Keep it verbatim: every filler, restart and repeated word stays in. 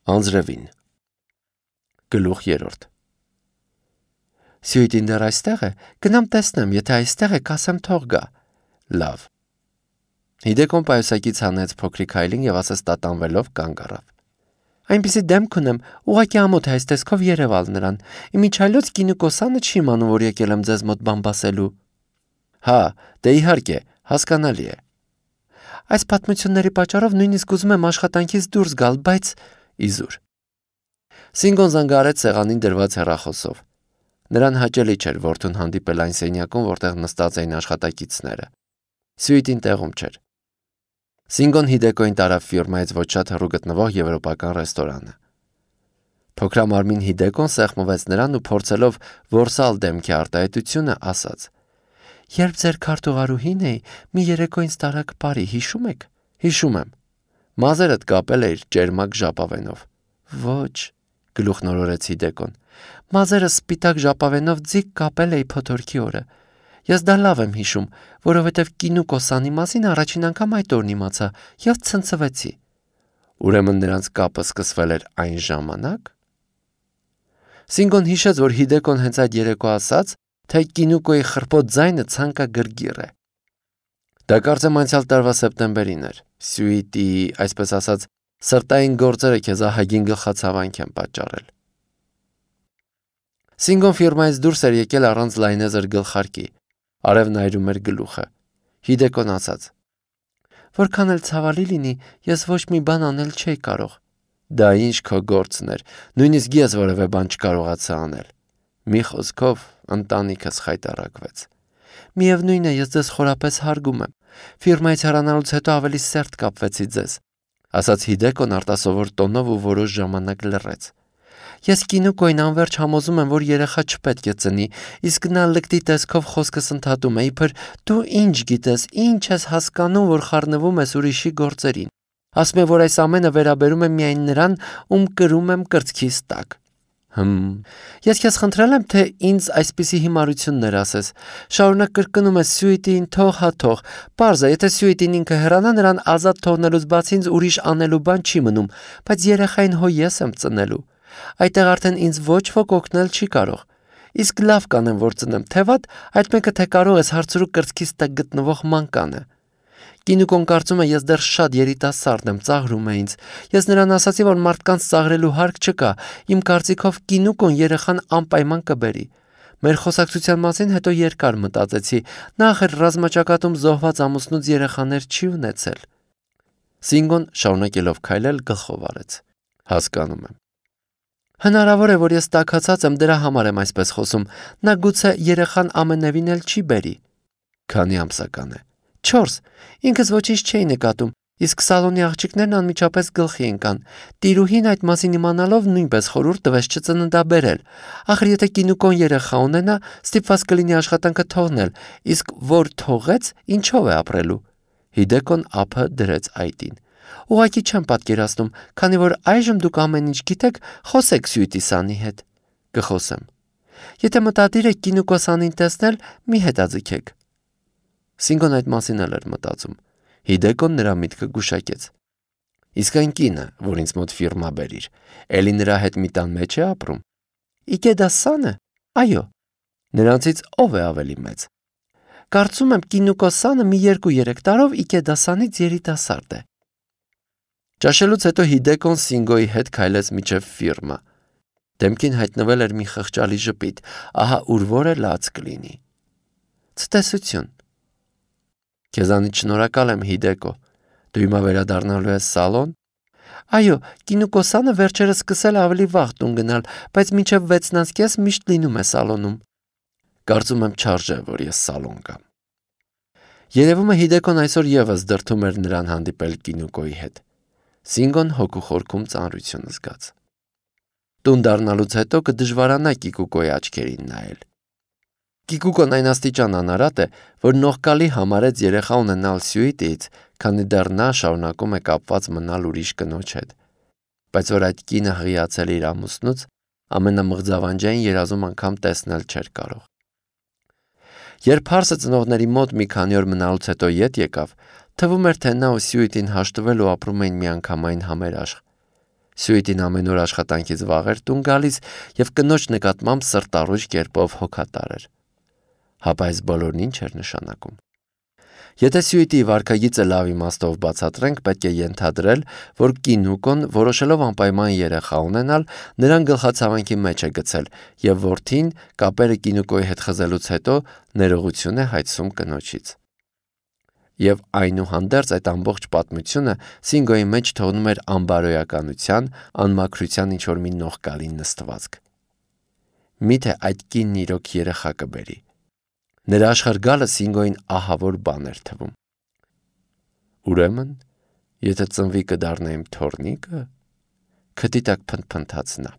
Անձրևին Գլուխ երրորդ Սյուիտին դեռ այստեղ է, գնամ տեսնեմ, եթե այստեղ է, կասեմ թող գա։ Լավ։ Հիդեկոն պայուսակից հանեց փոքրիկ հայլին և ասես տատանվելով կանգ առավ։ Այնպիսի դեմք ունեմ, ուղղակի ամոթ է այս տեսքով երևալ նրան։ Իմիջայլոց Կինուկոսյանը չի իմանում, որ եկել եմ ձեզ մոտ բան բասելու։ Հա, դե իհարկե, հասկանալի է։ Այս պատմությունների պատճառով նույնիսկ ուզում եմ աշխատանքից դուրս գալ, բայց իզուր։ Սինգոն զանգահարեց սեղանին դրված հեռախոսով։ Նրան հաճելի չէր որդուն հանդիպել այն սենյակում, որտեղ նստած էին աշխատակիցները։ Սյուիտին տեղում չէր։ Սինգոն Հիդեկոյին տարավ ֆիրմայից ոչ շատ հեռու գտնվող եվրոպական ռեստորանը։ Փոքրամարմին Հիդեկոն սեղմվեց նրան ու փորձելով որսալ դեմքի արտահայտությունը, ասաց. Երբ ձեր քարտուղարուհին էի, մի երեկո ինձ տարաք բարի, հիշում եք։ Հիշում եմ։ Մազերդ կապել էիր ճերմակ ժապավենով։ Ոչ, գլուխնորորեց Հիդեկոն։ Մազերը սպիտակ ժապավենով ձիգ կապել էի փոթորքի օրը։ Ես դա լավ եմ հիշում, որովհետև Կինուկոսյանի մասին առաջին անգամ այդ օրն իմացա և ցնցվեցի։ Ուրեմն նրանց կապը սկսվել էր այն ժամանակ։ Սինգոն հիշեց, որ Հիդեկոն հենց այդ երեկո ասաց, թե Կինուկոյի խռպոտ ձայնը ցանկագրգիռ է։ Դա կարծեմ անցյալ տարվա սեպտեմբերին էր։ Սյուիտի, այսպես ասած, սրտային գործերը քեզ ահագին գլխացավանք են պատճառել։ Սինգոն ֆիրմայից դուրս էր եկել առանց լայնեզր գլխարկի։ Արևն այրում էր գլուխը։ Հիդեկոն ասաց. Որքան էլ ցավալի լինի, ես ոչ մի բան անել չէի կարող։ Դա ինչ քո գործն էր, նույնիսկ ես որևէ բան չկարողացա անել։ Մի խոսքով ընտանիքս խայտառակվեց։ Միևնույն է, ես ձեզ խորապես հարգում եմ։ Ֆիրմայից հեռանալուց հետո ավելի սերտ կապվեցի ձեզ, ասաց Հիդեկոն արտասովոր տոնով ու որոշ ժամանակ լռեց։ Ես Կինուկոյին անվերջ համոզում եմ, որ երեխա չպետք է ծնի, իսկ նա լկտի տեսքով խոսքս ընդհատում է, իբր դու ինչ գիտես, ինչ ես հասկանում, որ խառնվում ես ուրիշի գործերին։ Ասում է, որ այս ամենը վերաբերում է միայն նրան, ում կրում եմ կրծքիս տակ։ Հմ, ես քեզ խնդրել եմ, թե ինձ այսպիսի հիմարություններ ասես։ Շարունակ կրկնում ես Սյուիտին թող հա թող։ Պարզ է, եթե Սյուիտին ինքը հեռանա, նրան ազատ թողնելուց բացի ինձ ուրիշ անելու բան չի մնում, բայց երեխային հո ես եմ ծնելու։ Այդտեղ արդեն ինձ ոչ ոք օգնել չի կարող։ Իսկ լավ կանեմ, որ ծնեմ, թե վատ, այդ մեկը թե կարող ես հարցրու կրծքիս տակ գտնվող մանկանը։ Կինուկոն կարծում է, ես դեռ շատ երիտասարդ եմ, ծաղրում է ինձ։ Ես նրան ասացի, որ մարդկանց ծաղրելու հարկ չկա։ Իմ կարծիքով Կինուկոն երեխան անպայման կբերի։ Մեր խոսակցության մասին հետո երկար մտածեցի։ Նա ախր ռազմաճակատում զոհված ամուսնուց երեխաներ չի ունեցել։ Սինգոն շարունակելով քայլել գլխով արեց։ Հասկանում եմ։ Հնարավոր է, որ ես տաքացած եմ, դրա համար եմ այսպես խոսում։ Նա գուցե երեխան ամենևին էլ չի բերի։ Քանի ամսական է։ Չորս։ Ինքս ոչինչ չէի նկատում, իսկ սալոնի աղջիկներն անմիջապես գլխի ընկան։ Տիրուհին այդ մասին իմանալով նույնպես խորհուրդ տվեց չծննդաբերել։ Ախր եթե Կինուկոն երեխա ունենա, ստիպված կլինի աշխատանքը թողնել, իսկ որ թողեց, ինչով է ապրելու։ Հիդեկոն ափը դրեց այտին։ Ուղղակի չեմ պատկերացնում, քանի որ այժմ դուք ամեն ինչ գիտեք, խոսեք Սյուիտի Սանի հետ։ Կխոսեմ։ Եթե մտադիր եք Կինուկոսյանին տեսնել, մի հետաձգեք։ Սինգոն այդ մասին էլ էր մտածում։ Հիդեկոն նրա միտքը գուշակեց։ Իսկ այն կինը, որ ինձ մոտ ֆիրմա բերիր, էլի նրա հետ մի տան մեջ է ապրում։ Իգեդա Սանը։ Այո։ Նրանցից ով է ավելի մեծ։ Կարծում եմ Կինուկոսյանը մի երկու-երեք տարով Իգեդա Սանից երիտասարդ է։ Ճաշելուց հետո Հիդեկոն Սինգոյի հետ քայլեց մինչև ֆիրմա։ Դեմքին հայտնվել էր մի խղճալի ժպիտ, ահա ուր որը լաց կլինի։ Ցտեսություն։ Քեզանից շնորհակալ եմ, Հիդեկո։ Դու հիմա վերադառնալու ես սալոն։ Այո, Կինուկոսյանը վերջերս սկսել ավելի վաղ տուն գնալ, բայց մինչև վեցն անց կես միշտ լինում է սալոնում։ Կարծում եմ չարժե, որ ես սալոն գամ։ Երևում է Հիդեկոն այսօր ևս դրդում էր նրան հանդիպել Կինուկոյի հետ։ Սինգոն հոգու խորքում ծանրություն զգաց։ Տուն դառնալուց հետո կդժվարանա Կիկուկոյի աչքերին նայել։ Կիկուկոն այն աստիճան անարատ է, որ նողկալի համարեց երեխա ունենալ Սյուիտից, քանի դեռ նա շարունակում է կապված մնալ ուրիշ կնոջ հետ։ Բայց որ այդ կինը հղիացել իր ամուսնուց, ամենամղձավանջային երազում անգամ տեսնել չէր կարող։ Երբ հարսը ծնողների մոտ մի քանի օր մնալուց հետո ետ եկավ, թվում էր, թե նա ու Սյուիտին հաշտվել ու ապրում էին միանգամայն համերաշխ։ Սյուիտին ամեն օր աշխատանքից վաղ էր տուն գալիս եւ կնոջ նկատմամբ սրտառուժ կերպով հոգատար էր։ Հապա այս բոլորն ինչ էր նշանակում։ Եթե Սյուիտի վարքագիծը լավ իմաստով բացատրենք, պետք է ենթադրել, որ Կինուկոն, որոշելով անպայման երեխա ունենալ, նրան գլխացավանքի մեջ է գցել եւ որդին կապերը Կինուկոյի հետ խզելուց հետո ներողություն է հայցում կնոջից։ Եվ այնուհանդերձ այդ ամբողջ պատմությունը Սինգոյի մեջ թողնում էր անբարոյականության, անմաքրության ինչ-որ մի նողկալի նստվածք։ Միթե այդ կինն իրոք երեխա կբերի։ Նրա աշխարհ գալը Սինգոյին ահավոր բան էր թվում։ Ուրեմն, եթե ծնվի կդառնա իմ թոռնիկը, քթի տակ փնթփնթաց նա։